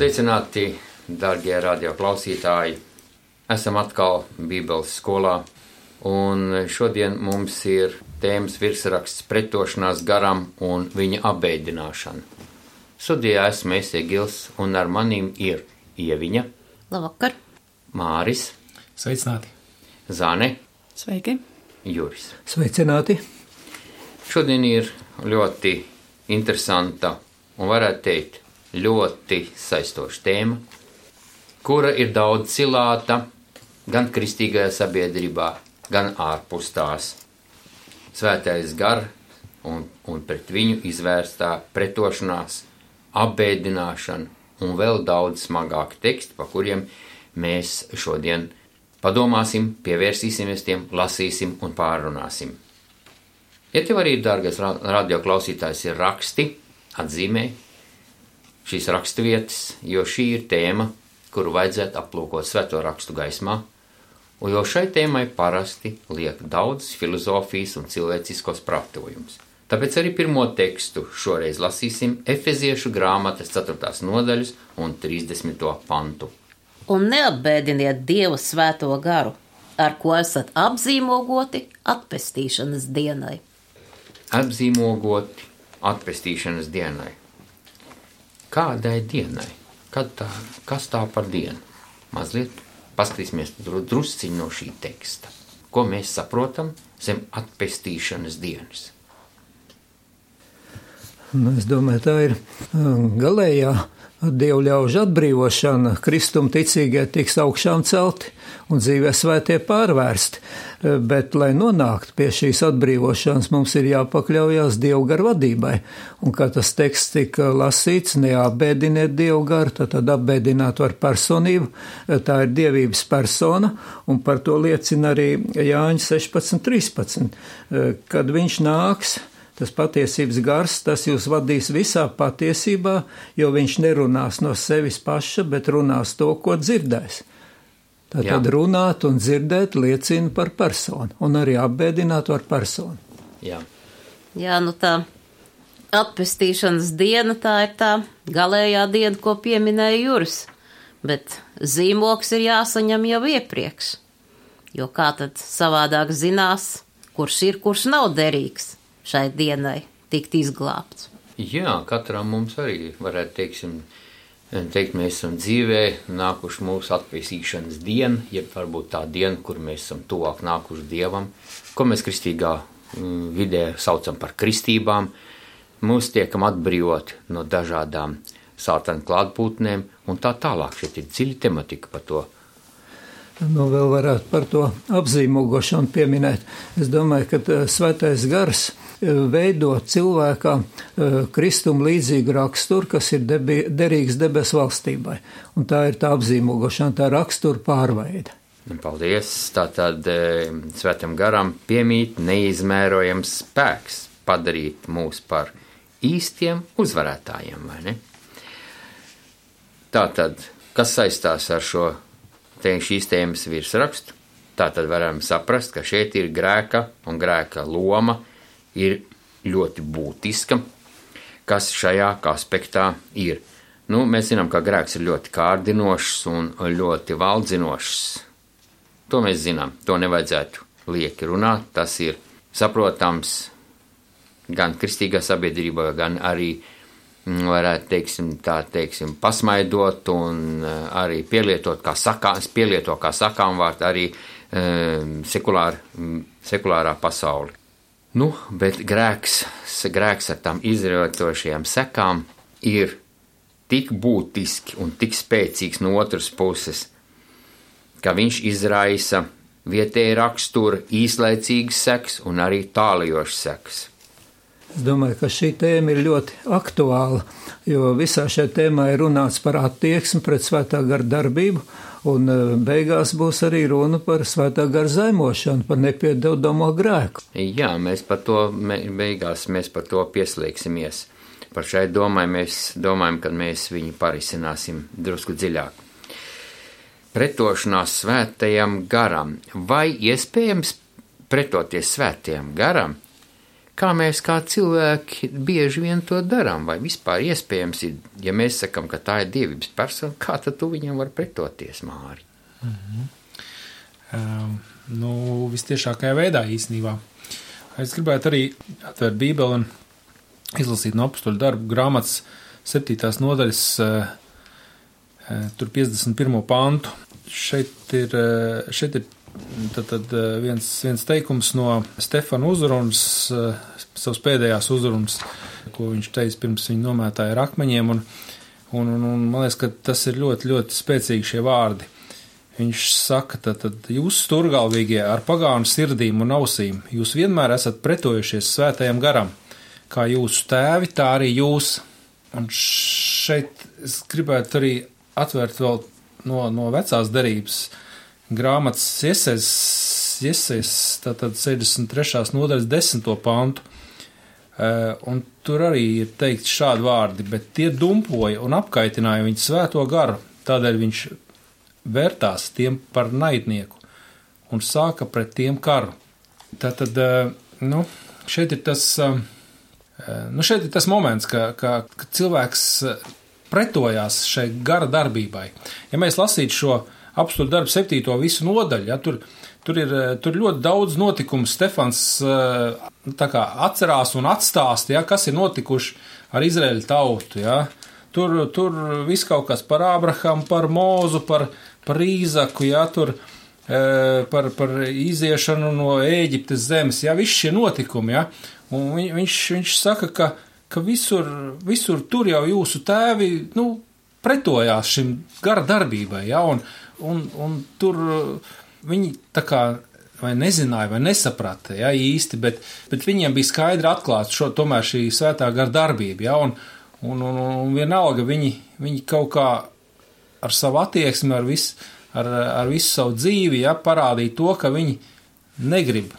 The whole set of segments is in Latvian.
Sveicināti, darbie radioklausītāji! Esam atkal Bībeles skolā, un šodien mums ir tēmas virsraksts pretošanās garam un viņa apbēdināšana. Studijā esmu Gils, un ar manīm ir Ieviņa. Labvakar! Māris. Sveicināti! Zane. Sveiki! Juris. Sveicināti! Šodien ir ļoti interesanta un varētu teikt ļoti saistoša tēma, kura ir daudz cilāta gan kristīgajā sabiedrībā, gan ārpus tās. Svētais gars un pret viņu izvērstā pretošanās, apbēdināšana un vēl daudz smagāki teksti, pa kuriem mēs šodien padomāsim, pievērsīsimies tiem, lasīsim un pārrunāsim. Ja tev arī, dārgais radioklausītājs, ir raksti, atzīmē šīs raksturvietas, jo šī ir tēma, kuru vajadzētu aplūkot svēto rakstu gaismā, un jo šai tēmai parasti liek daudz filozofijas un cilvēciskos prātojumus. Tāpēc arī pirmo tekstu šoreiz lasīsim Efeziešu grāmatas 4. nodaļas un 30. pantu. Un neapbēdiniet Dieva svēto garu, ar ko esat apzīmogoti atpestīšanas dienai. Apzīmogoti atpestīšanas dienai. Kādai dienai? Kas tā par dienu? Mazliet paskatīsimies drusciņu no šī teksta. Ko mēs saprotam zem atpestīšanas dienas? Es domāju, tā ir galējā Dievu ļaužu atbrīvošana. Kristuma ticīgie tiks augšām celti un dzīvē svētie pārvērsti. Bet, lai nonāktu pie šīs atbrīvošanas, mums ir jāpakļaujās Dievu garu vadībai. Un kā tas teksts tika lasīts, neapbēdiniet Dievu garu, tad apbēdināt var personību. Tā ir dievības persona, un par to liecina arī Jāņa 16:13. Kad viņš nāks, tas patiesības gars, tas jūs vadīs visā patiesībā, jo viņš nerunās no sevis paša, bet runās to, ko dzirdēs. Tātad runāt un dzirdēt liecina par personu, un arī apbēdināt var personu. Jā, Tā atpestīšanas diena, tā ir tā galējā diena, ko pieminēja Juris, bet zīmoks ir jāsaņem jau iepriekš, jo kā tad savādāk zinās, kurš ir, kurš nav derīgs šai dienai tikt izglābts. Jā, katram mums arī varētu teikt, mēs esam dzīvē nākuši mūsu atpestīšanas diena, jeb varbūt tā diena, kur mēs esam tuvāk nākuši Dievam, ko mēs kristīgā vidē saucam par kristībām. Mūs tiekam atbrīvot no dažādām sātana klātbūtnēm un tā tālāk. Šeit ir dziļa tematika par to. Vēl varētu par to apzīmogošanu pieminēt. Es domāju, ka svētais gars veido cilvēkā Kristum līdzīgu raksturu, kas ir derīgs debesu valstībai. Un tā ir tā apzīmogošana, tā rakstura pārveide. Paldies! Tātad svētam garam piemīt neizmērojams spēks padarīt mūs par īstiem uzvarētājiem, vai ne? Tātad, kas saistās ar šīs tēmas virsrakstu? Tātad varam saprast, ka šeit ir grēka un grēka loma ir ļoti būtiska, kas šajā aspektā ir. Mēs zinām, ka grēks ir ļoti kārdinošs un ļoti valdzinošs. To mēs zinām, to nevajadzētu lieki runāt. Tas ir saprotams gan kristīgā sabiedrībā, gan arī, varētu pasmaidot un arī pielietot kā sakām vārdu arī sekulārā pasauli. Bet grēks ar tām izrietošajām sekām ir tik būtiski un tik spēcīgs no otras puses, ka viņš izraisa vietēja rakstura īslaicīgas sekas un arī tālajošas sekas. Es domāju, ka šī tēma ir ļoti aktuāla, jo visā šajā tēmā ir runāts par attieksmi pret svētā gara darbību, un beigās būs arī runa par svētā gara zaimošanu, par nepiedodamo grēku. Jā, mēs par to pieslēgsimies. Par šai domai mēs domājam, ka mēs viņu parisināsim drusku dziļāk. Pretošanās svētajam garam. Vai iespējams pretoties svētajam garam, kā mēs kā cilvēki bieži vien to darām, vai vispār iespējams ir, ja mēs sakam, ka tā ir dievības persona, kā tad tu viņam var pretoties, Māri? Vistiešākajā veidā īstenībā. Es gribētu arī atvērt Bībeli un izlasīt no Apostoļu darbu grāmatas 7. nodaļas, tur 51. pantu. Šeit ir tad viens teikums no Stefana uzrunas, savas pēdējās uzrunas, ko viņš teica pirms viņa nomētāja ar akmeņiem, un man liekas, ka tas ir ļoti, ļoti spēcīgi šie vārdi. Viņš saka, tad jūs sturgalvīgie ar pagānu sirdīm un ausīm, jūs vienmēr esat pretojušies svētajam garam, kā jūsu tēvi, tā arī jūs. Un šeit es gribētu arī atvērt vēl no vecās derības grāmatas Iesajas, tātad 63. nodaļas 10. pantu, un tur arī ir teikts šādi vārdi, bet tie dumpoja un apkaitināja viņu svēto garu, tādēļ viņš vērtās tiem par naidnieku un sāka pret tiem karu. Tātad, šeit ir tas moments, ka cilvēks pretojās šai gara darbībai. Ja mēs lasītu šo Apostoļu darbu 7. visu nodaļu, ja, tur ir ļoti daudz notikumu. Stefans tā kā atcerās un atstāst, ja, kas ir notikuši ar Izraēļu tautu. Ja. Tur viss kaut kas par Ābrahamu, par Mūzu, par Īzaku, ja, tur par iziešanu no Ēģiptes zemes. Ja, visi šie notikumi. Ja. Un viņš saka, ka visur tur jau jūsu tēvi pretojās šim gara darbībai. Ja, un tur viņi tā kā vai nezināja, vai nesaprata, ja, īsti, bet viņiem bija skaidri atklāts tomēr šī svētā gara darbība, ja, un vienalga viņi kaut kā ar savu attieksmi, ar visu savu dzīvi, ja, parādīja to, ka viņi negrib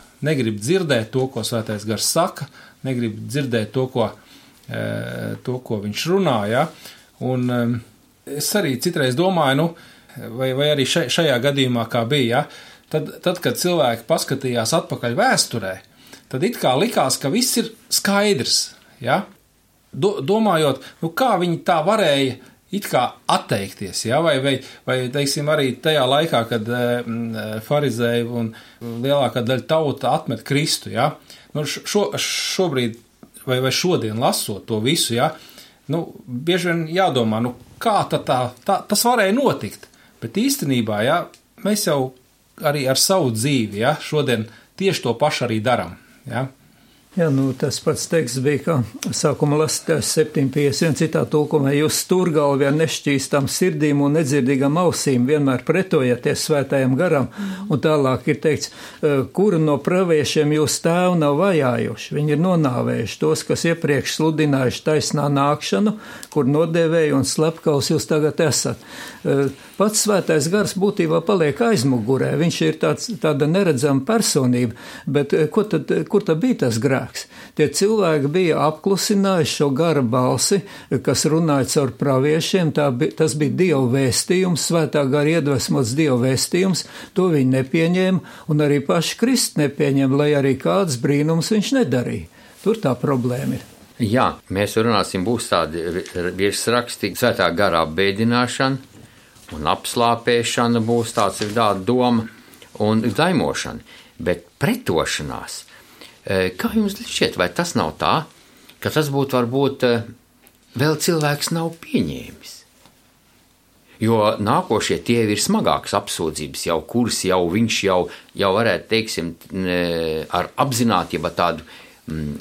dzirdēt to, ko svētais gars saka, negrib dzirdēt to, ko viņš runā, ja, un es arī citreiz domāju, vai arī šajā gadījumā kā bija, ja, tad, kad cilvēki paskatījās atpakaļ vēsturē, tad it kā likās, ka viss ir skaidrs, ja, domājot, kā viņi tā varēja it kā atteikties, ja, vai teiksim, arī tajā laikā, kad farizēji un lielākā daļa tauta atmet Kristu, ja, šobrīd vai šodien lasot to visu, ja, bieži vien jādomā, kā tas varēja notikt. Bet īstenībā, ja, mēs jau arī ar savu dzīvi, ja, šodien tieši to pašu arī daram. Ja. Jā, tas pats teksts bija, ka sākuma lasītājs 7.51 citā tulkumā, jūs stūrgalvi ar nešķīstām sirdīm un nedzirdīgām ausīm vienmēr pretojaties svētajam garam, un tālāk ir teikts, kuru no praviešiem jūs tēvu nav vajājuši. Viņi ir nonāvējuši tos, kas iepriekš sludinājuši taisnā nākšanu, kur nodēvēja un slepkavs jūs tagad esat. Pats svētais gars būtībā paliek aizmugurē, viņš ir tāda neredzama personība, bet kur tad bija tas grēks? Tie cilvēki bija apklusinājuši šo gara balsi, kas runāja caur praviešiem, tas bija Dieva vēstījums, svētā gara iedvesmots Dieva vēstījums, to viņi nepieņēma, un arī paši Kristi nepieņēma, lai arī kāds brīnums viņš nedarīja. Tur tā problēma ir. Jā, mēs runāsim, būs tādi virsraksti, svētā gara apbēdināšana un apslāpēšana būs tāds ir tāda doma un daimošana, bet pretošanās. Kā jums šķiet, vai tas nav tā, ka tas būtu varbūt vēl cilvēks nav pieņēmis? Jo nākošie tie ir smagākas apsūdzības, kuras viņš jau varētu, teiksim, ar apzinātību tādu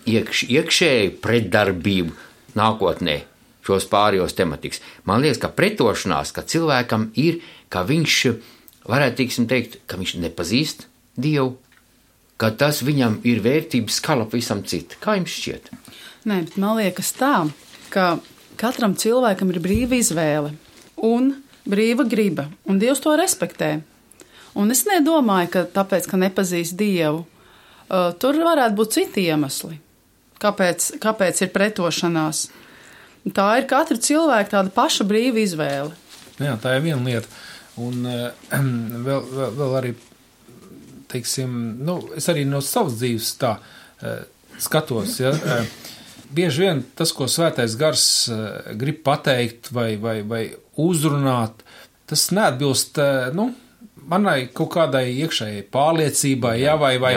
iekšēju pretdarbību nākotnē šos pārējos tematikas. Man liekas, ka pretošanās, ka cilvēkam ir, ka viņš varētu, teiksim, teikt, ka viņš nepazīst Dievu, ka tas viņam ir vērtības skala visam citu. Kā jums šķiet? Nē, man liekas tā, ka katram cilvēkam ir brīva izvēle un brīva griba, un Dievs to respektē. Un es nedomāju, ka tāpēc, ka nepazīst Dievu, tur varētu būt citi iemesli, kāpēc ir pretošanās. Tā ir katra cilvēka tāda paša brīva izvēle. Jā, tā ir viena lieta. Un vēl arī, teiksim, es arī no savas dzīves tā skatos, ja, bieži vien tas, ko svētais gars grib pateikt vai uzrunāt, tas neatbilst, manai kaut kādai iekšējai pārliecībai, vai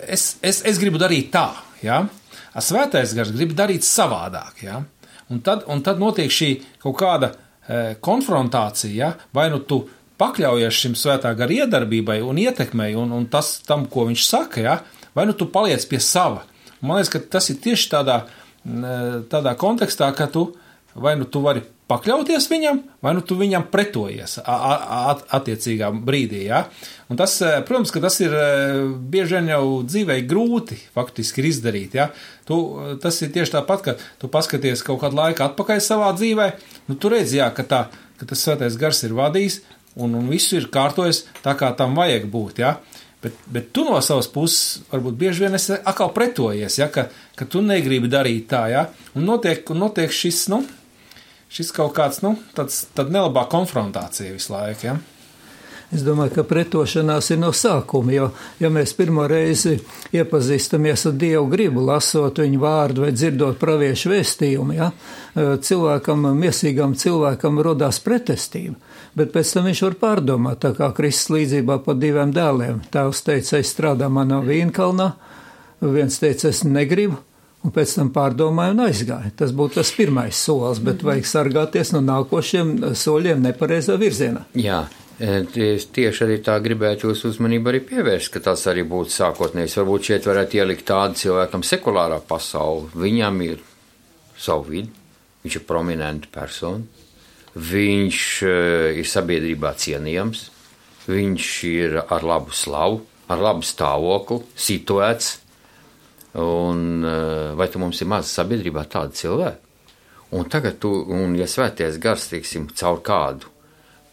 es gribu darīt tā, ja. Svētais gars grib darīt savādāk, ja. Un tad notiek šī kaut kāda konfrontācija, ja? Vai nu tu pakļaujies šim svētā gara iedarbībai un ietekmei un tas tam, ko viņš saka, ja? Vai nu tu paliec pie sava. Man liekas, ka tas ir tieši tādā kontekstā, ka vai nu tu vari pakļauties viņam, vai nu tu viņam pretojies attiecīgā brīdī. Ja? Un tas, protams, ka tas ir bieži vien jau dzīvei grūti faktiski izdarīt. Ja? Tas ir tieši tāpat, ka tu paskaties kaut kādu laiku atpakaļ savā dzīvē, tu redzi, jā, ka tas svētais gars ir vadījis un viss ir kārtojies tā, kā tam vajag būt. Ja? Bet tu no savas puses varbūt bieži vien esi atkal pretojies, ja? ka tu negribi darīt tā. Ja? Un notiek šis kaut kāds, tāda nelabā konfrontācija visu laiku, ja? Es domāju, ka pretošanās ir no sākuma, jo, ja mēs pirmo reizi iepazīstamies ar Dievu gribu, lasot viņu vārdu vai dzirdot praviešu vēstījumu, ja, miesīgam cilvēkam rodās pretestība, bet pēc tam viņš var pārdomāt, tā kā Kristus līdzībā par diviem dēliem. Tēvs teica, es strādāju manā vīnkalnā, viens teica, es negribu, un pēc tam pārdomāju un aizgāju. Tas būtu tas pirmais solis, bet vajag sargāties no nākošiem soļiem nepareizā virzienā. Jā, tieši arī tā gribētu jūs uzmanību arī pievērst, ka tas arī būtu sākotnējs. Varbūt šeit varētu ielikt tādu cilvēkam sekulārā pasauli. Viņam ir savu vidi, viņš ir prominenta persona, viņš ir sabiedrībā cienījams, viņš ir ar labu slavu, ar labu stāvokli, situēts. Un vai tu mums ir maz sabiedrībā tāda cilvēka? Un tagad ja svētais gars, teiksim, caur kādu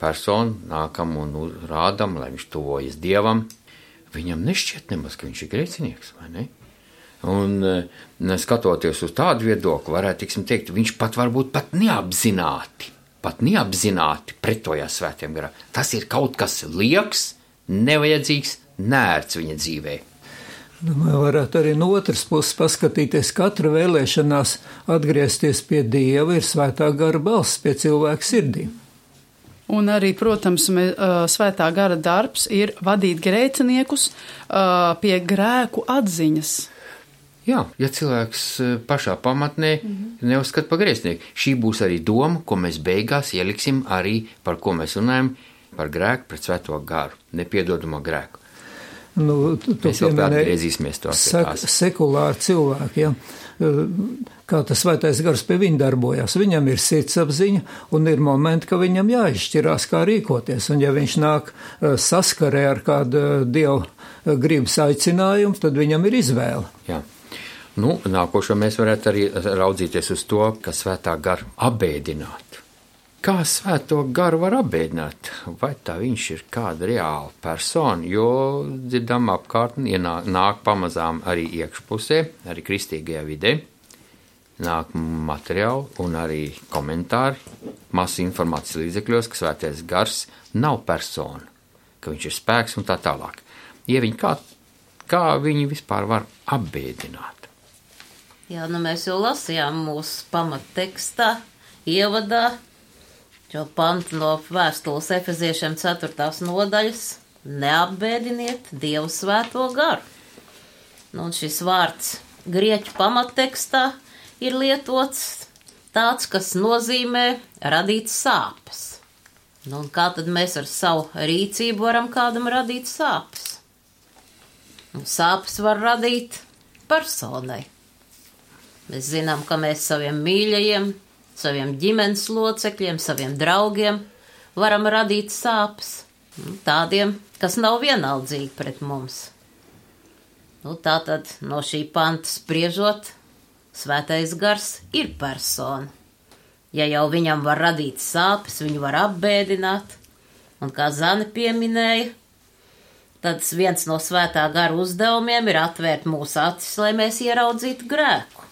personu nākam un rādam, lai viņš tuvojas Dievam, viņam nešķiet nemaz, ka viņš ir grēcinieks, vai ne? Un skatoties uz tādu viedokli, varētu, teiksim, teikt, viņš varbūt pat neapzināti pretojās svētiem garam. Tas ir kaut kas lieks, nevajadzīgs, nērts viņa dzīvē. Varētu arī no otras puses paskatīties, katra vēlēšanās atgriezties pie Dieva ir svētā gara balss pie cilvēka sirdīm. Un arī, protams, svētā gara darbs ir vadīt grēciniekus pie grēku atziņas. Jā, ja cilvēks pašā pamatnē neuzskata par grēcinieku. Šī būs arī doma, ko mēs beigās ieliksim arī, par ko mēs runājam, par grēku pret svēto garu, nepiedodamo grēku. Mēs vēl atgriezīsimies to sekulāri cilvēki, ja? Kā tas svētais gars pie viņa darbojas. Viņam ir sirdsapziņa un ir momenti, ka viņam jāizšķirās, kā rīkoties. Un ja viņš nāk saskarē ar kādu Dievu gribas aicinājumu, tad viņam ir izvēle. Jā. Nākošo mēs varētu arī raudzīties uz to, ka svētā gara apbēdināt. Kā svēto garu var apbēdināt? Vai tā viņš ir kāda reāla persona? Jo dzirdam apkārtni, nāk pamazām arī iekšpusē, arī kristīgajā vidē, nāk materiāli un arī komentāri, masu informācijas līdzekļos, ka svētais gars nav persona, ka viņš ir spēks un tā tālāk. Kā viņi vispār var apbēdināt? Jā, mēs jau lasījām mūsu pamattekstā, ievadā, šo pantu no vēstules Efeziešiem 4. nodaļas neapbēdiniet Dievu svēto garu. Un šis vārds grieķu pamattekstā ir lietots tāds, kas nozīmē radīt sāpes. Un kā tad mēs ar savu rīcību varam kādam radīt sāpes? Un sāpes var radīt personai. Mēs zinām, ka mēs saviem mīļajiem, saviem ģimenes locekļiem, saviem draugiem varam radīt sāpes, tādiem, kas nav vienaldzīgi pret mums. Tātad no šī panta spriežot, svētais gars ir persona. Ja jau viņam var radīt sāpes, viņu var apbēdināt, un kā Zane pieminēja, tad viens no svētā gara uzdevumiem ir atvērt mūsu acis, lai mēs ieraudzītu grēku.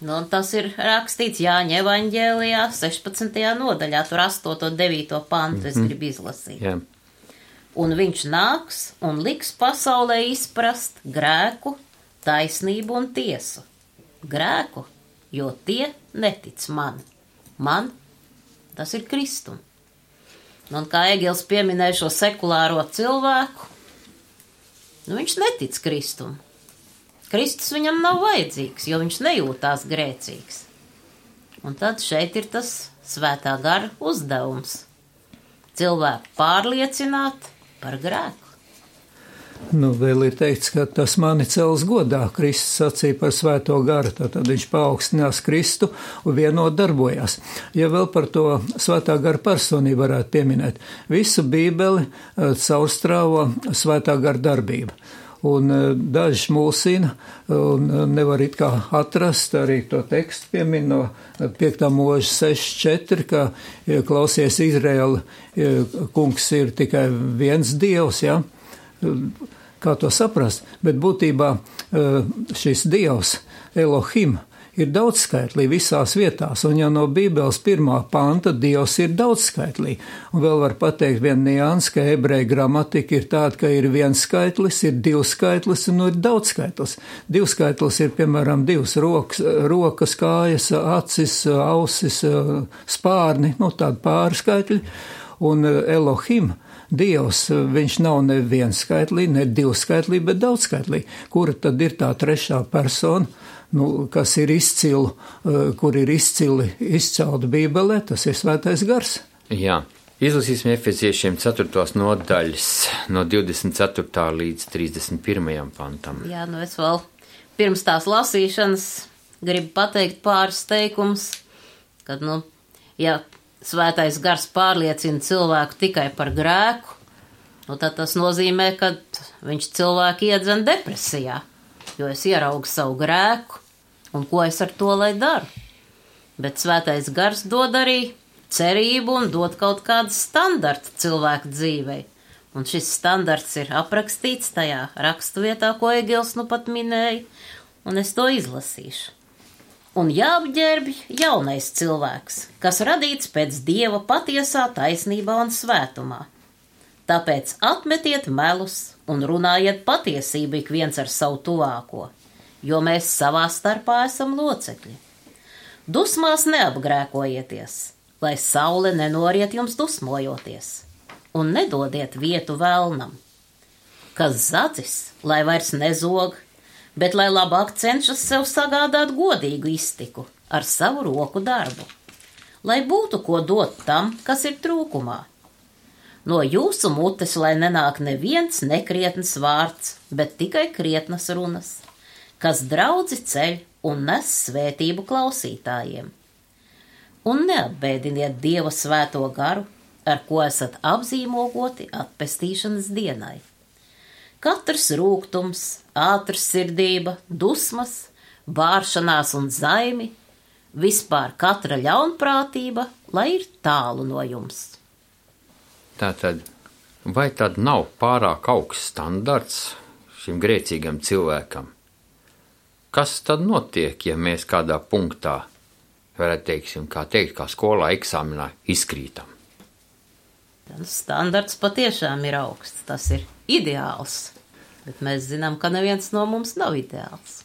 Un tas ir rakstīts Jāņa evaņģēlijā 16. nodaļā, tur 8. un 9. pantu es gribu izlasīt. Jā. Un viņš nāks un liks pasaulē izprast grēku, taisnību un tiesu. Grēku, jo tie netic man. Man tas ir Kristum. Un kā Egils pieminēja šo sekulāro cilvēku, viņš netic Kristum. Kristus viņam nav vajadzīgs, jo viņš nejūtās grēcīgs. Un tad šeit ir tas svētā gara uzdevums – cilvēku pārliecināt par grēku. Vēl ir teikts, ka tas mani cels godā. Kristus sacīja par svēto garu, tad viņš paaugstinās Kristu un vienot darbojās. Ja vēl par to svētā gara personību varētu pieminēt, visu Bībeli caurstrāvo svētā gara darbība. Un daži mulsina un nevar it kā atrast, arī to tekstu piemin no 5. mūža 6.4, ka klausies Izraēla, kungs ir tikai viens dievs, ja? Kā to saprast, bet būtībā šis dievs, Elohim, ir daudzskaitlī visās vietās, un jau no Bībeles 1. panta dievs ir daudzskaitlī. Un vēl var pateikt vienu niansu, ka ebreju gramatika ir tāda, ka ir viens skaitlis, ir divskaitlis un ir daudzskaitlis. Divskaitlis ir, piemēram, divas rokas, kājas, acis, ausis, spārni, tādi pārskaitļi, un Elohim, Dievs, viņš nav ne viens skaitlī, ne divskaitlī, bet daudzskaitlī. Kura tad ir tā trešā persona, kas ir kur ir izcelta Bībelē, tas ir svētais gars. Jā, izlasīsim Efeziešiem 4. nodaļas no 24. līdz 31. pantam. Jā, es vēl pirms tās lasīšanas gribu pateikt pāris teikums, kad, ja svētais gars pārliecina cilvēku tikai par grēku, tad tas nozīmē, ka viņš cilvēku iedzen depresijā, jo es ieraugu savu grēku un ko es ar to lai daru. Bet svētais gars dod arī cerību un dod kaut kādu standartu cilvēku dzīvei. Un šis standarts ir aprakstīts tajā raksturvietā, ko Egils pat minēja, un es to izlasīšu. Un jāapģērbj jaunais cilvēks, kas radīts pēc Dieva patiesā taisnībā un svētumā. Tāpēc atmetiet melus un runājiet patiesību ik viens ar savu tuvāko, jo mēs savā starpā esam locekļi. Dusmās neapgrēkojieties, lai saule nenoriet jums dusmojoties, un nedodiet vietu velnam. Kas zadzis, lai vairs nezog, bet lai labāk cenšas sev sagādāt godīgu iztiku ar savu roku darbu, lai būtu ko dot tam, kas ir trūkumā. No jūsu mutes, lai nenāk neviens nekrietns vārds, bet tikai krietnas runas, kas draudzi ceļ un nes svētību klausītājiem. Un neapbēdiniet Dieva svēto garu, ar ko esat apzīmogoti atpestīšanas dienai. Katrs rūgtums, ātrs sirdība, dusmas, bāršanās un zaimi, vispār katra ļaunprātība, lai ir tālu no jums. Tātad, vai tad nav pārāk augsts standarts šim grēcīgam cilvēkam? Kas tad notiek, ja mēs kādā punktā, varētu kā skolā eksāmenā izkrītam? Standarts patiešām ir augsts, tas ir ideāls, bet mēs zinām, ka neviens no mums nav ideāls.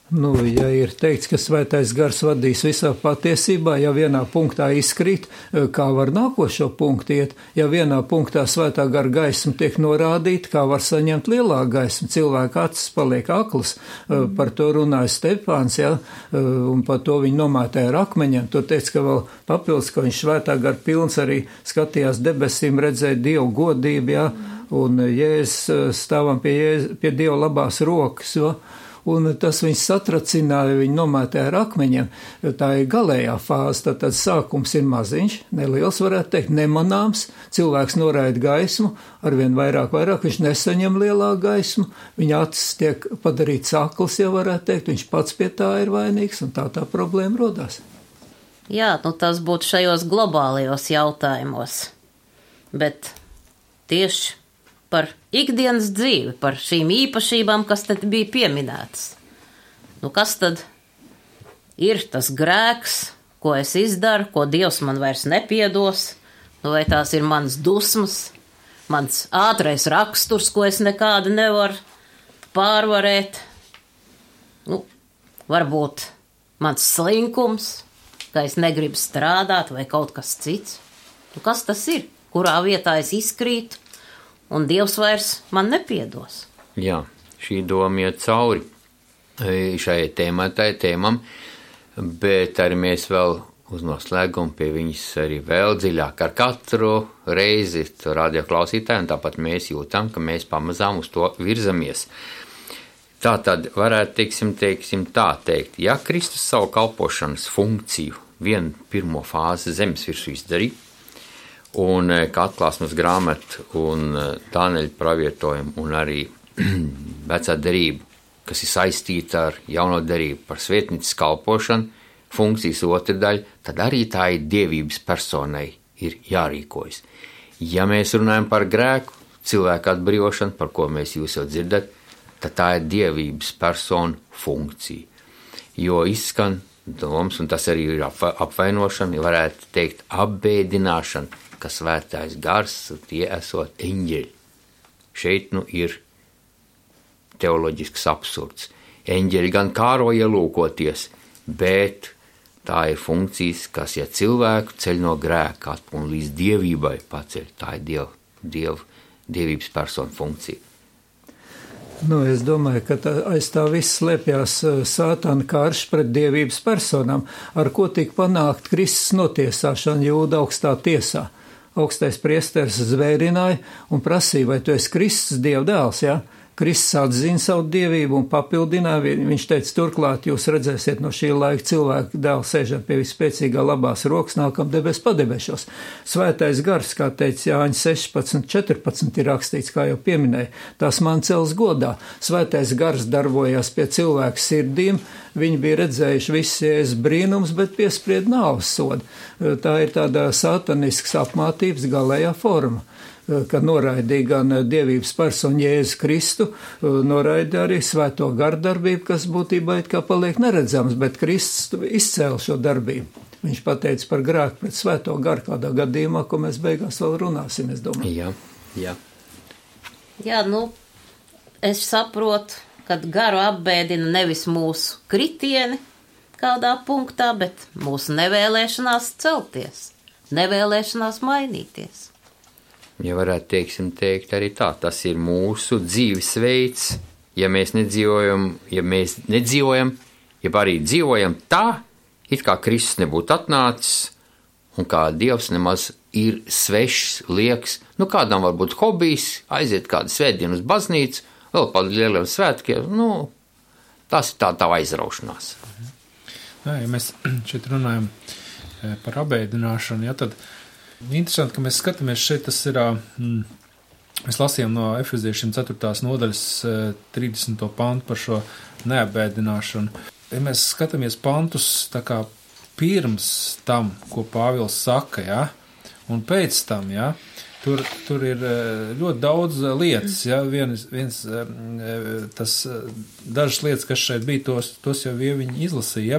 Ja ir teikts, ka svētais gars vadīs visā patiesībā, ja vienā punktā izkrīt, kā var nākošo punktu iet, ja vienā punktā svētā gara gaisma tiek norādīta, kā var saņemt lielāku gaismu, cilvēka acis paliek aklas, par to runāja Stefāns, un par to viņi nomētāja ar akmeņiem, tur teica, ka vēl papildus, ka viņš svētā gara pilns arī skatījās debesīm, redzēja Dievu godību, un Jēzus stāvam pie Dieva labās rokas, un tas viņus satracināja, viņi nomētāja ar akmeņiem. Tā ir galējā fāze, tad sākums ir maziņš, neliels, varētu teikt, nemanāms, cilvēks noraida gaismu, arvien vairāk, viņš nesaņem lielāku gaismu, viņa acis tiek padarīts akls, ja varētu teikt, viņš pats pie tā ir vainīgs, un tā problēma rodās. Jā, tas būtu šajos globālajos jautājumos, bet tieši par ikdienas dzīvi, par šīm īpašībām, kas te bija pieminētas. Kas tad ir tas grēks, ko es izdaru, ko Dievs man vairs nepiedos? Vai tās ir manas dusmas, mans ātrais raksturs, ko es nekādi nevaru pārvarēt? varbūt mans slinkums, ka es negribu strādāt vai kaut kas cits. Nu, kas tas ir? Kurā vietā es izkrītu un Dievs vairs man nepiedos? Jā, šī doma iet cauri šai tēmam, bet arī mēs vēl uz noslēgumu pie viņas arī vēl dziļāk ar katru reizi radioklausītāju, un tāpat mēs jūtam, ka mēs pamazām uz to virzamies. Tā tad varētu, teiksim tā teikt, ja Kristus savu kalpošanas funkciju vienu pirmo fāzi zemes virsū izdarīja, un kā atklāsmes grāmata un Dāneļa pravietojumu un arī vecā derība, kas ir saistīta ar jauno derību par svētnīcas kalpošanu, funkcijas otra daļa, tad arī tā ir dievības personai ir jārīkojas. Ja mēs runājam par grēku, cilvēku atbrīvošanu, par ko mēs jūs jau dzirdat, tad tā ir dievības persona funkcija. Jo izskan domas, un tas arī ir apvainošana, varētu teikt apbēdināšana, ka svētais gars, tie esot eņģeļi. Šeit ir teoloģisks absurds. Eņģeļi gan kāro ielūkoties, bet tā ir funkcijas, kas, ja cilvēku ceļ no grēka un līdz dievībai paceļ, tā ir dievības persona funkcija. Es domāju, ka aiz tā viss slēpjas Sātana karš pret dievības personām, ar ko tika panākt Kristus notiesāšana Jūda augstā tiesā. Augstais priesteris zvērināja un prasīja, vai tu esi Kristus Dieva dēls, ja? Kristus atzina savu dievību un papildināja. Viņš teica, turklāt jūs redzēsiet no šī laika cilvēku dēlu sēžam pie vispēcīgā labās rokas, nākam debes padebešos. Svētais gars, kā teica Jāņa 16:14 ir rakstīts, kā jau pieminēja, tās man cels godā. Svētais gars darbojās pie cilvēku sirdīm, viņi bija redzējuši visus brīnums, bet piespried nāves sodu. Tā ir tāda satanisks apmātības galējā forma, kad noraidīja gan dievības personu Jēzu Kristu, noraida arī svēto gardarbību, kas būtībā it kā paliek neredzams, bet Kristus izcēla šo darbību. Viņš pateica par grēku pret svēto garu kādā gadījumā, ko mēs beigās vēl runāsim, es domāju. Jā. Jā, es saprotu, kad garu apbēdina nevis mūsu kritieni kādā punktā, bet mūsu nevēlēšanās celties, nevēlēšanās mainīties. Ja varētu teikt arī tā, tas ir mūsu dzīvesveids, ja mēs nedzīvojam, ja arī dzīvojam tā, it kā Kristus nebūtu atnācis, un kā Dievs nemaz ir svešs, liekas, kādam varbūt hobijs, aiziet kādu svētdienu uz baznīcu, vēl par lieliem svētkiem, tas ir tā aizraušanās. Ja mēs šeit runājam par apbēdināšanu, tad interesanti, ka mēs skatāmies šeit, tas ir, mēs lasījām no Efeziešiem 4. nodaļas 30. pantu par šo neapbēdināšanu. Ja mēs skatāmies pantus tā kā pirms tam, ko Pāvils saka, ja, un pēc tam, ja, tur ir ļoti daudz lietas, ja, dažas lietas, kas šeit bija, tos jau viņi izlasīja, ja,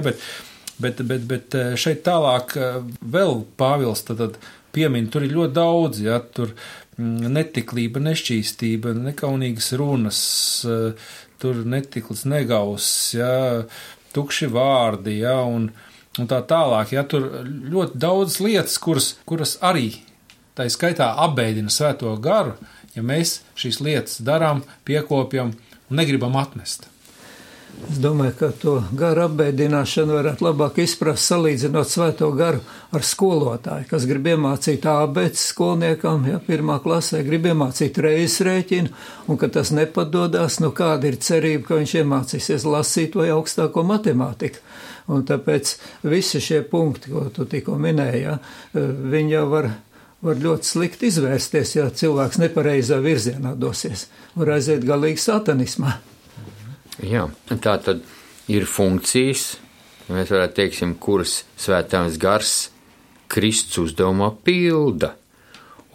bet šeit tālāk vēl Pāvils tad piemin, tur ir ļoti daudz, ja, tur netiklība, nešķīstība, nekaunīgas runas, tur netiklis, negauss, ja, tukši vārdi, ja, un tā tālāk, ja, tur ļoti daudz lietas, kuras arī tā skaitā apbēdina svēto garu, ja mēs šīs lietas darām, piekopjam un negribam atmest. Es domāju, ka to garu apbēdināšanu varētu labāk izprast salīdzinot svēto garu ar skolotāju, kas grib iemācīt ābēdz skolniekam, ja, 1. klasē, grib iemācīt reizes rēķinu, un ka tas nepadodās, kāda ir cerība, ka viņš iemācīsies lasīt vai augstāko matemātiku. Un tāpēc visi šie punkti, ko tu tikko minēji, ja, viņi jau var ļoti slikti izvērsties, ja cilvēks nepareizā virzienā dosies, var aiziet galīgi satanismā. Jā, tā tad ir funkcijas, mēs varētu teiksim, kuras svētais gars Kristus uzdevumā pilda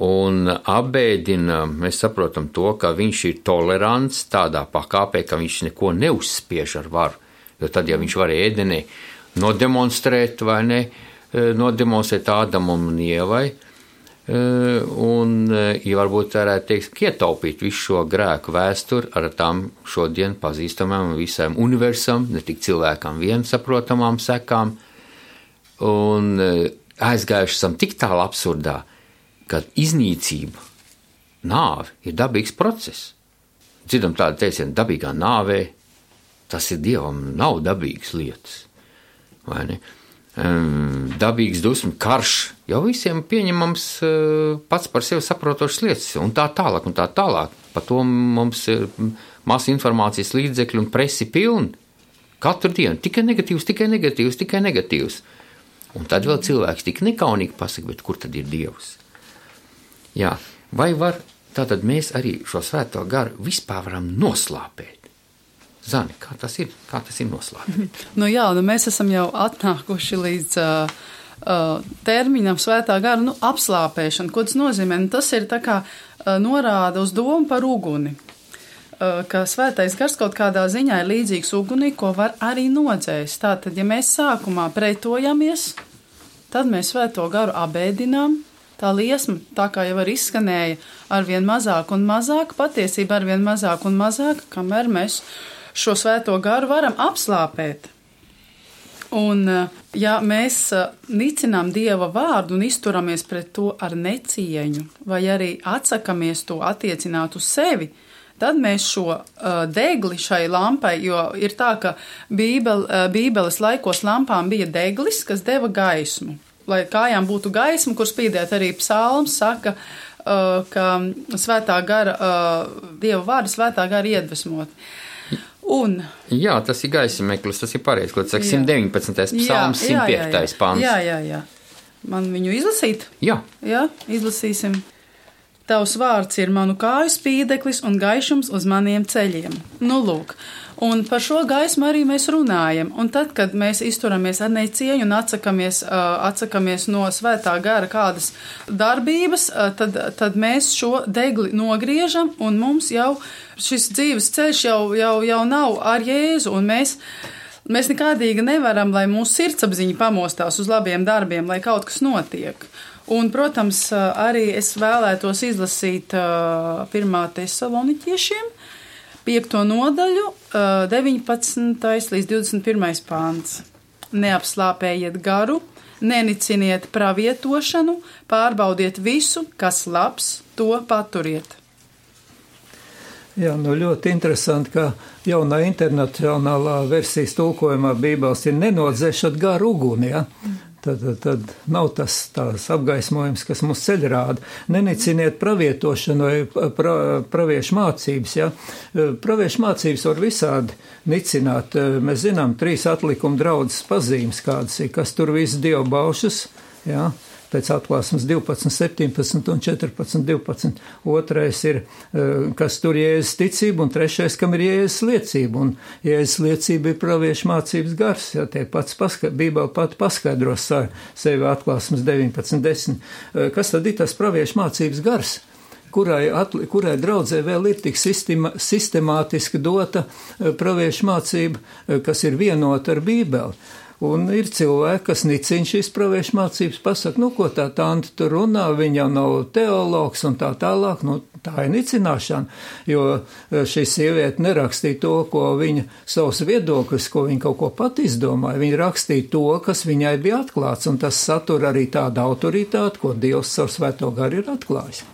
un apbēdina, mēs saprotam to, ka viņš ir tolerants tādā pakāpē, ka viņš neko neuzspiež ar varu, jo tad, ja viņš varēja ēdenē nodemonstrēt vai ne, nodemonstrēt Ādamam un Ievai, Un, ja varbūt varētu teikt, ietaupīt visu šo grēku vēsturi ar tām šodien pazīstamām un visām universām, ne tik cilvēkam vien saprotamām sekām, un aizgājuši esam tik tālu absurdā, ka iznīcība, nāve ir dabīgs process. Dzirdam tādu teicienu, dabīgā nāvē, tas ir Dievam nav dabīgas lietas, vai ne? Dabīgs dusmu karš, jau visiem pieņemams pats par sevi saprotošas lietas, un tā tālāk, un tā tālāk. Par to mums ir masa informācijas līdzekļi un presi pilni. Katru dienu tikai negatīvs, tikai negatīvs, tikai negatīvs. Un tad vēl cilvēks tik nekaunīgi pasaka, bet kur tad ir Dievs? Jā, vai var, tātad mēs arī šo svēto garu vispār varam noslāpēt? Zani, kā tas ir noslēpts? Jā, mēs esam jau atnākuši līdz terminam svētā gara apslāpēšana. Ko tas nozīmē? Tas ir tā kā norāda uz domu par uguni. Ka svētais gars kaut kādā ziņā ir līdzīgs ugunī, ko var arī nodzēst. Tātad, ja mēs sākumā pretojamies, tad mēs svēto garu abēdinām. Tā liesma, tā kā jau arī izskanēja, arvien mazāk un mazāk, patiesībā arvien mazāk un mazāk, kamēr mēs šo svēto garu varam apslāpēt. Un, ja mēs nicinām Dieva vārdu un izturamies pret to ar necieņu, vai arī atsakamies to attiecināt uz sevi, tad mēs šo degli šai lampai, jo ir tā, ka Bībeles laikos lampām bija deglis, kas deva gaismu. Lai kājām būtu gaisma, kur spīdēt arī psalms, saka, ka svētā gara, Dieva vārdu svētā gara iedvesmot. Un, jā, tas ir gaismeklis, tas ir pareizi, ko tas saka 119. psalms, 105. pants. Jā. Man viņu izlasīt? Jā, izlasīsim. Tavs vārds ir manu kāju spīdeklis un gaišums uz maniem ceļiem. Lūk. Un par šo gaismu arī mēs runājam. Un tad, kad mēs izturamies ar necieņu un atsakamies no svētā gara kādas darbības, tad mēs šo degli nogriežam un mums jau šis dzīves ceļš jau nav ar Jēzu. Un mēs nekādīgi nevaram, lai mūsu sirdsapziņa pamostās uz labiem darbiem, lai kaut kas notiek. Un, protams, arī es vēlētos izlasīt 1. Tesaloniķiešiem 5. nodaļu, 19. līdz 21. pāns. Neapslāpējiet garu, neniciniet pravietošanu, pārbaudiet visu, kas labs, to paturiet. Jā, ļoti interesanti, ka jaunā internacionālā versijas tulkojumā Bībeles ir nenodzēšat garu uguni, ja? Tad nav tās apgaismojums, kas mums ceļ rāda. Neniciniet pravietošanu vai praviešu mācības. Ja? Praviešu mācības var visādi nicināt. Mēs zinām 3 atlikuma draudzes pazīmes, kādas ir, kas tur viss dievu baušas, ja? Pēc atklāsmes 12, 17 un 14, 12. Otrais ir, kas tur Jēzus ticība, un trešais, kam ir Jēzus liecība. Un Jēzus liecība ir praviešu mācības gars. Ja, tie pats Bībele pati paskaidros sevi atklāsmes 19, 10. Kas tad ir tas praviešu mācības gars? Kurai draudzē vēl ir tik sistemātiski dota praviešu mācība, kas ir vienota ar Bībeli. Un ir cilvēki, kas nicina šīs praviešu mācības, pasaka, ko tā tante tur runā, viņa nav teologs un tā tālāk, tā ir nicināšana, jo šī sieviete nerakstīja to, ko viņa savus viedokļus, ko viņa kaut ko pat izdomāja, viņa rakstīja to, kas viņai bija atklāts, un tas satur arī tādu autoritāti, ko Dievs savu svēto garu ir atklājis.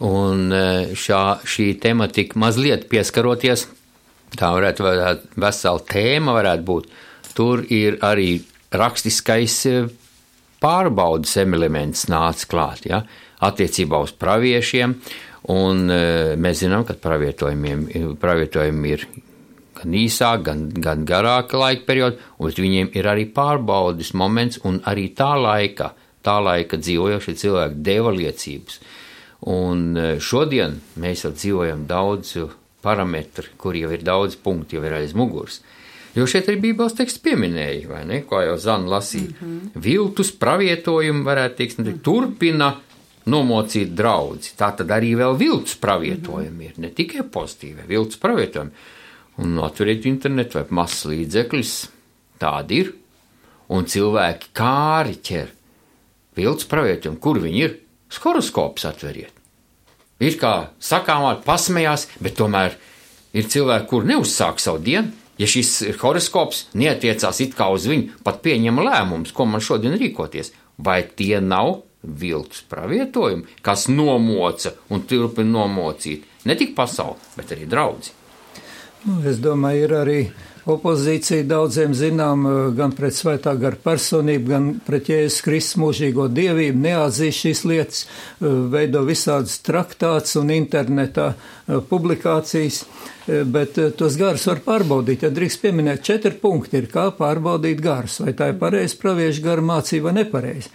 Un šī tematika mazliet pieskaroties, tā varētu vesela tēma varētu būt. Tur ir arī rakstiskais pārbaudas elements nāca klāt, ja, attiecībā uz praviešiem, un mēs zinām, ka pravietojumi ir gan īsāk, gan garāka laika perioda, un viņiem ir arī pārbaudas moments, un arī tā laika dzīvojošie cilvēki deva liecības. Un šodien mēs jau dzīvojam daudz parametru, kur jau ir daudz punkti, jau ir aiz muguras. Jo šeit arī Bībeles teksts pieminēja, vai ne, kā jau Zana lasīja. Viltus pravietojumu varētu teikt, turpina nomocīt draudzi. Tā tad arī vēl viltus pravietojumi ir, ne tikai pozitīvi, viltus pravietojumi. Un atveriet internetu vai masas līdzekļus, tādi ir. Un cilvēki kāri ķer viltus pravietojumi, kur viņi ir? horoskops atveriet. Ir kā sakāmāt, pasmējās, bet tomēr ir cilvēki, kur neuzsāk savu dienu. Ja šis horoskops neatiecās it kā uz viņu, pat pieņem lēmumus, ko man šodien rīkoties, vai tie nav viltus pravietojumi, kas nomoca un turpina nomocīt ne tik pasauli, bet arī draudzi? Es domāju, ir arī opozīcija daudziem zinām gan pret svētā gara personību, gan pret Jēzus Kristus mūžīgo dievību, neatzīst šīs lietas, veido visādas traktāts un internetā publikācijas, bet tos garus var pārbaudīt. Ja drīkst pieminēt 4 punkti, ir kā pārbaudīt garus, vai tā ir pareizi praviešu gara mācība vai nepareizi.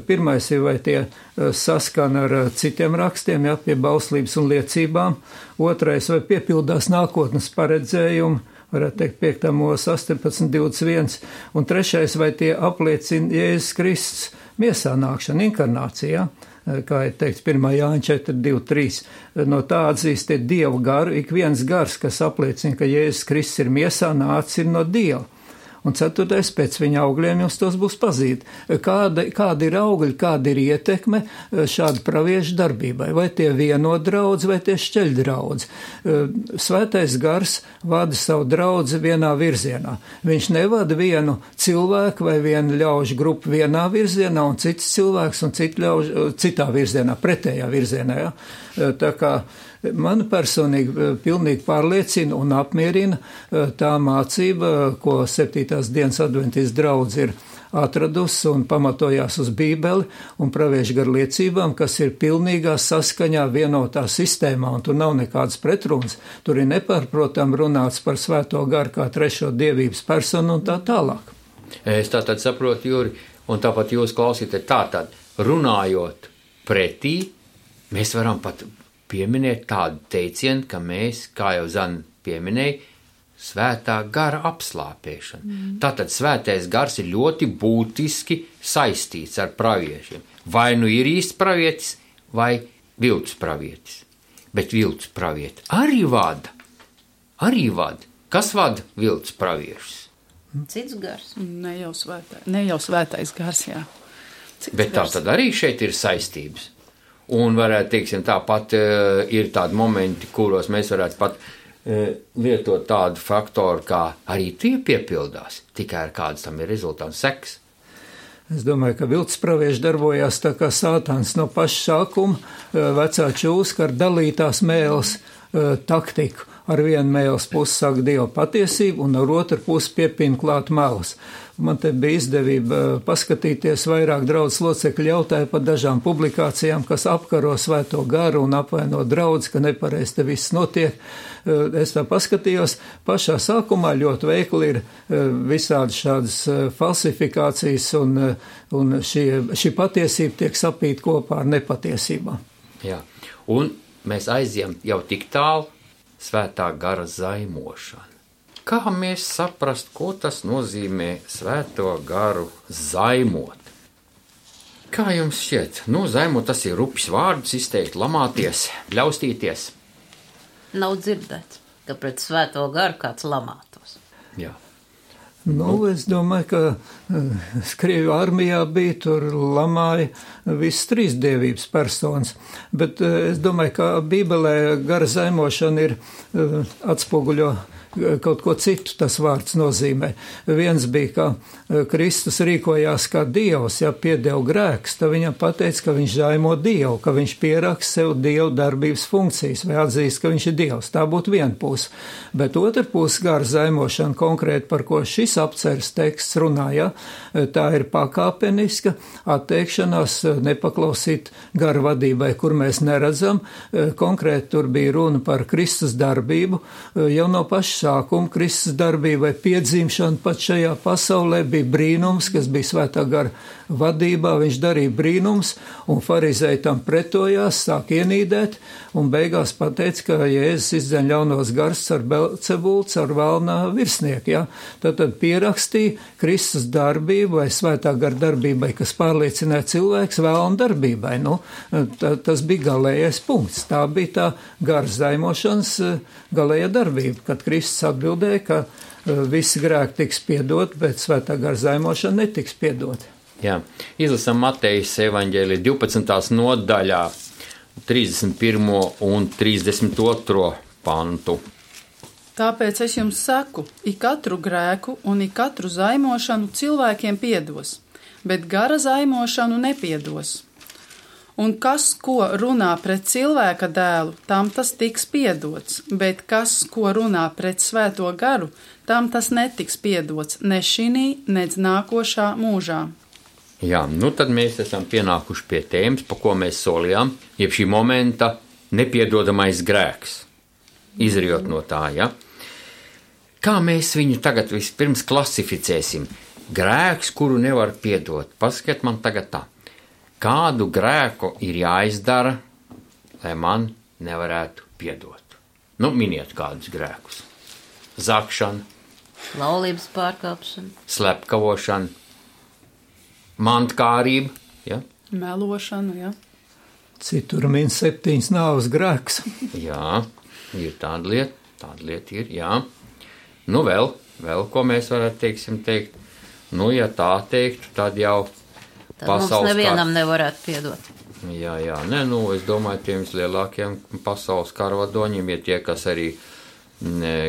Pirmais ir, vai tie saskana ar citiem rakstiem, ja, pie bauslības un liecībām. Otrais, vai piepildās nākotnes paredzējumu, varētu teikt 5. mūža 18.21. Un trešais, vai tie apliecina Jēzus Kristus miesā nākšanu, inkarnācijā, kā ir teikts 1. Jāņa 4.2.3. No tā atzīstiet Dievu garu, ik viens gars, kas apliecina, ka Jēzus Kristus ir miesā, nācis ir no Dieva. Un 4. pēc viņa augļiem jums tos būs pazīt. Kāda ir augļi, kāda ir ietekme šāda praviešu darbībai? Vai tie vieno draudzi, vai tie šķeļ draudzi? Svētais gars vada savu draudzi vienā virzienā. Viņš nevada vienu cilvēku vai vienu ļaužu grupu vienā virzienā un cits cilvēks un citu ļaužu citā virzienā, pretējā virzienā. Ja? Tā kā man personīgi pilnīgi pārliecina un apmierina tā mācība, ko 7. dienas adventistu draudze ir atradusi un pamatojās uz Bībeli un praviešu garu liecībām, kas ir pilnīgā saskaņā vienotā sistēmā, un tur nav nekādas pretrunas. Tur ir nepārprotam runāts par svēto garu kā trešo dievības personu un tā tālāk. Es tātad saprotu, Juri, un tāpat jūs klausīties tātad, runājot pretī, mēs varam pat pieminēt tādu teicienu, ka mēs, kā jau Zana pieminēja, svētā gara apslāpēšana. Tātad svētais gars ir ļoti būtiski saistīts ar praviešiem. Vai nu ir īsts pravietis, vai viltus pravietis. Bet viltus pravieti arī vada. Kas vada viltus praviešus? Cits gars. Ne jau svētais gars, jā. Bet tā tad arī šeit ir saistības. Un varētu, teiksim, tāpat ir tādi momenti, kuros mēs varētu pat lietot tādu faktoru, kā arī tie piepildās, tikai ar kāds tam ir rezultāts seks. Es domāju, ka viltus pravieši darbojās tā kā Sātans no paša sākuma, vecā čūska ar dalītās mēles taktiku. Ar vienu mēles pusi saka Dieva patiesību, un ar otru pusi piepina klāt melas. Man te bija izdevība paskatīties, vairāk draudzes locekļi jautāja par dažām publikācijām, kas apkaro svēto garu un apvaino draudzi, ka nepareizi te viss notiek. Es tā paskatījos, pašā sākumā ļoti veikli ir visādi šādas falsifikācijas, un šī patiesība tiek sapīta kopā ar nepatiesībām. Jā, un mēs aizjām jau tik tālu svētā gara zaimošana. Kā mēs saprast, ko tas nozīmē svēto garu zaimot? Kā jums šķiet? Zaimot tas ir rupjs vārds, izteikt, lamāties, bļaustīties. Nav dzirdēts, ka pret svēto garu kāds lamātos. Jā. Es domāju, ka Krieviju armijā bija, tur lamāja visas 3 dievības personas, bet es domāju, ka Bībelē gara zaimošana ir atspoguļo kaut ko citu tas vārds nozīmē. Viens bija, ka Kristus rīkojās kā Dievs, ja piedeva grēks, tad viņam pateica, ka viņš zaimo Dievu, ka viņš pieraksta sev Dievu darbības funkcijas vai atzīst, ka viņš ir Dievs. Tā būtu viena puse. Bet otra puse gara zaimošana konkrēti, par ko šis apceres teksts runā, ja, tā ir pakāpeniska atteikšanās nepaklausīt gara vadībai, kur mēs neredzam. Konkrēti tur bija runa par Kristus darbību, jau no paša sākuma Kristus darbībai piedzimšana pat šajā pasaulē bija brīnums, kas bija svētā gara vadībā, viņš darīja brīnums, un farizēji tam pretojās, sāk ienīdēt, un beigās pateica, ka Jēzus izdzen ļaunos gars ar Belcebults, ar velnā virsnieku, ja? Tad pierakstīja Kristus darbību vai svētā gara darbībai, kas pārliecināja cilvēks velna darbībai. Tas bija galējais punkts. Tā bija tā gara zaimošanas galējā darbība, kad Kristus atbildēja, ka visi grēki tiks piedot, bet svētā gara zaimošana netiks piedot. Jā, izlasam Matejas evaņģēlija 12. nodaļā 31. un 32. pantu. Tāpēc es jums saku, ik katru grēku un ik katru zaimošanu cilvēkiem piedos, bet gara zaimošanu nepiedos. Un kas, ko runā pret cilvēka dēlu, tam tas tiks piedots, bet kas, ko runā pret svēto garu, tam tas netiks piedots ne šinī, nec nākošā mūžā. Jā, nu tad mēs esam pienākuši pie tēmas, pa ko mēs solījām, jeb šī momenta nepiedodamais grēks. Izriot no tā, ja? Kā mēs viņu tagad vispirms klasificēsim? Grēks, kuru nevar piedot. Pasakiet man tagad tā. Kādu grēku ir jāizdara, lai man nevarētu piedot? Nu, miniet kādus grēkus. Zakšana, Laulības pārkāpšana, slepkavošana, mantkārība, ja? Melošana, ja? Citur min 7 nāves grēks. Jā, ir tāda lieta ir, jā. Nu vēl, ko mēs varētu, teikt. Nu, ja tā teiktu, tad jau tad mums nevienam nevarētu piedot. Jā, nē, nu, es domāju, tiem lielākiem pasaules karvadoņiem ir tie, kas arī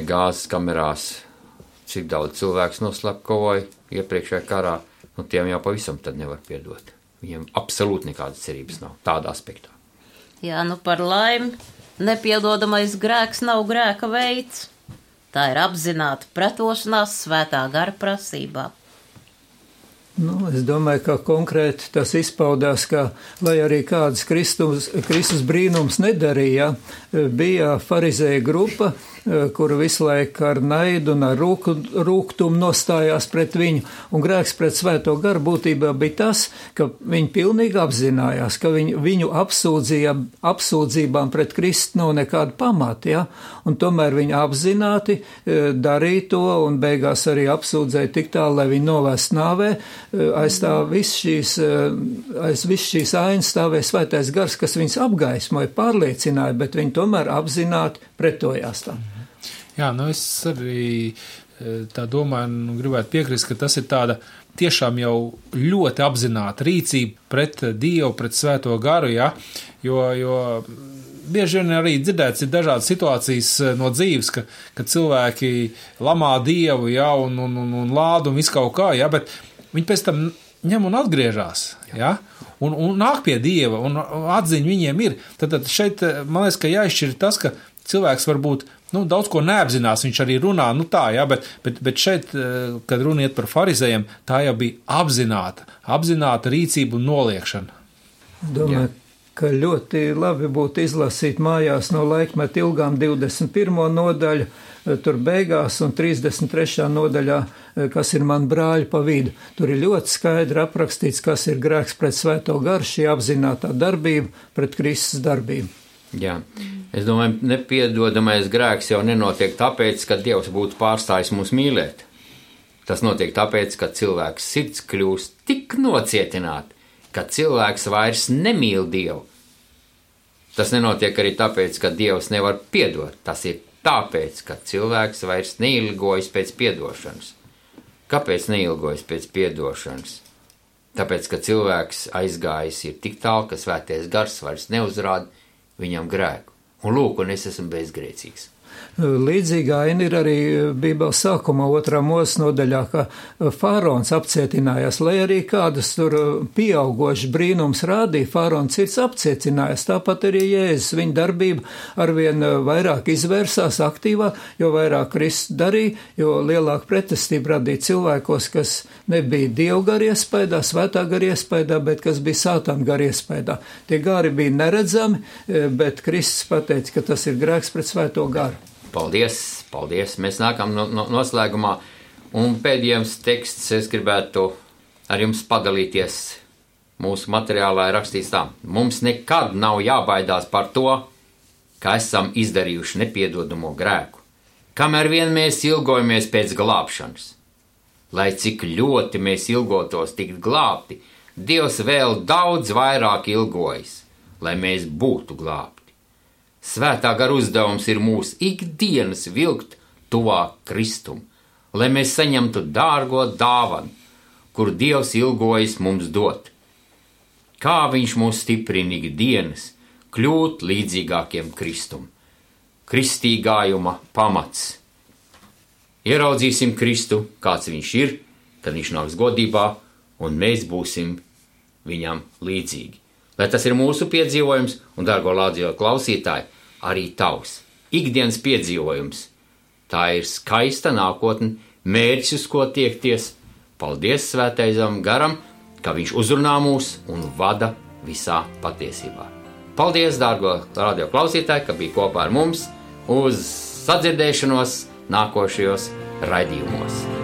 gāzes kamerās, cik daudz cilvēks noslepkavoja iepriekšējā karā, nu, tiem jau pavisam tad nevar piedot. Viņiem absolūti nekādas cerības nav tādā aspektā. Jā, nu par laimi, nepiedodamais grēks nav grēka veids. Tā ir apzināta pretošanās svētā gara prasībā. Nu, es domāju, ka konkrēti tas izpaudās, ka, lai arī kādas Kristus brīnums nedarīja, bija farizēja grupa, kura visu laiku ar naidu un ar rūgtumu nostājās pret viņu, un grēks pret svēto garu būtībā bija tas, ka viņi pilnīgi apzinājās, ka viņu apsūdzībām pret Kristu nav nekāda pamata, ja? Un tomēr viņi apzināti darīja to un beigās arī apsūdzēja tik tālu, lai viņi novest nāvē. Aiz viss šīs ainas stāvēja svētais gars, kas viņus apgaismoja, pārliecināja, bet viņi tomēr apzināti pretojās tam. Jā, nu es arī tā domāju un gribētu piekrist, ka tas ir tāda tiešām jau ļoti apzināta rīcība pret Dievu, pret svēto garu, ja? Jo bieži vien arī dzirdēts ir dažādas situācijas no dzīves, ka cilvēki lamā Dievu, ja, un lādu un visu kaut kā, ja, bet viņi pēc tam ņem un atgriežas, ja, un nāk pie Dieva, un atziņa viņiem ir. Tad šeit, man liekas, ka jāizšķir tas, ka cilvēks varbūt, daudz ko neapzinās, viņš arī runā, tā, ja, bet šeit, kad runa iet par farizējiem, tā jau bija apzināta rīcība un noliekšana. Domāju, ka ļoti labi būtu izlasīt mājās no laikmeta ilgām 21. nodaļu, tur beigās un 33. nodaļā, kas ir man brāļi pa vidu. Tur ir ļoti skaidri aprakstīts, kas ir grēks pret svēto garu, šī apzinātā darbība pret Kristus darbību. Jā, es domāju, nepiedodamais grēks jau nenotiek tāpēc, ka Dievs būtu pārstājis mūs mīlēt. Tas notiek tāpēc, ka cilvēks sirds kļūst tik nocietināta, ka cilvēks vairs nemīl Dievu. Tas nenotiek arī tāpēc, ka Dievs nevar piedot. Tas ir tāpēc, ka cilvēks vairs neilgojas pēc piedošanas. Kāpēc neilgojas pēc piedošanas? Tāpēc, ka cilvēks aizgājis ir tik tālu, ka svētais gars vairs neuzrāda viņam grēku. Un lūk, un es esmu bezgrēcīgs. Līdzīga aina ir arī Bībeles sākumā 2. Mūzes nodaļā, ka faraons apcietinājās, lai arī kādas tur pieaugošas brīnums rādīja, faraons sirds apcietinājās, tāpat arī Jēzus, viņa darbība arvien vairāk izvērsās aktīvāk, jo vairāk Kristus darīja, jo lielāka pretestība radīja cilvēkos, kas nebija Dievu garu iespējā, svētā garu iespējā, bet kas bija sātana garu iespējā. Tie gari bija neredzami, bet Kristus pateica, ka tas ir grēks pret svēto garu. Paldies. Mēs nākam noslēgumā. Un pēdējais teksts es gribētu ar jums padalīties. Mūsu materiālā ir rakstīts tā. Mums nekad nav jābaidās par to, ka esam izdarījuši nepiedodamo grēku. Kamēr vien mēs ilgojamies pēc glābšanas. Lai cik ļoti mēs ilgotos tikt glābti, Dievs vēl daudz vairāk ilgojas, lai mēs būtu glābti. Svētā gara uzdevums ir mūsu ikdienas vilkt tuvāk Kristum, lai mēs saņemtu dārgo dāvanu, kuru Dievs ilgojas mums dot. Kā viņš mūs stiprina ikdienas kļūt līdzīgākiem Kristum. Kristīgājuma pamats. Ieraudzīsim Kristu, kāds viņš ir, kad viņš nāks godībā, un mēs būsim viņam līdzīgi. Lai tas ir mūsu piedzīvojums, un, dargo radio klausītāji, arī tavs ikdienas piedzīvojums. Tā ir skaista nākotne, mērķis, uz ko tiekties. Paldies Svētajam garam, ka viņš uzrunā mūs un vada visā patiesībā. Paldies, dārgo radio klausītāji, ka bija kopā ar mums uz sadzirdēšanos nākošajos raidījumos.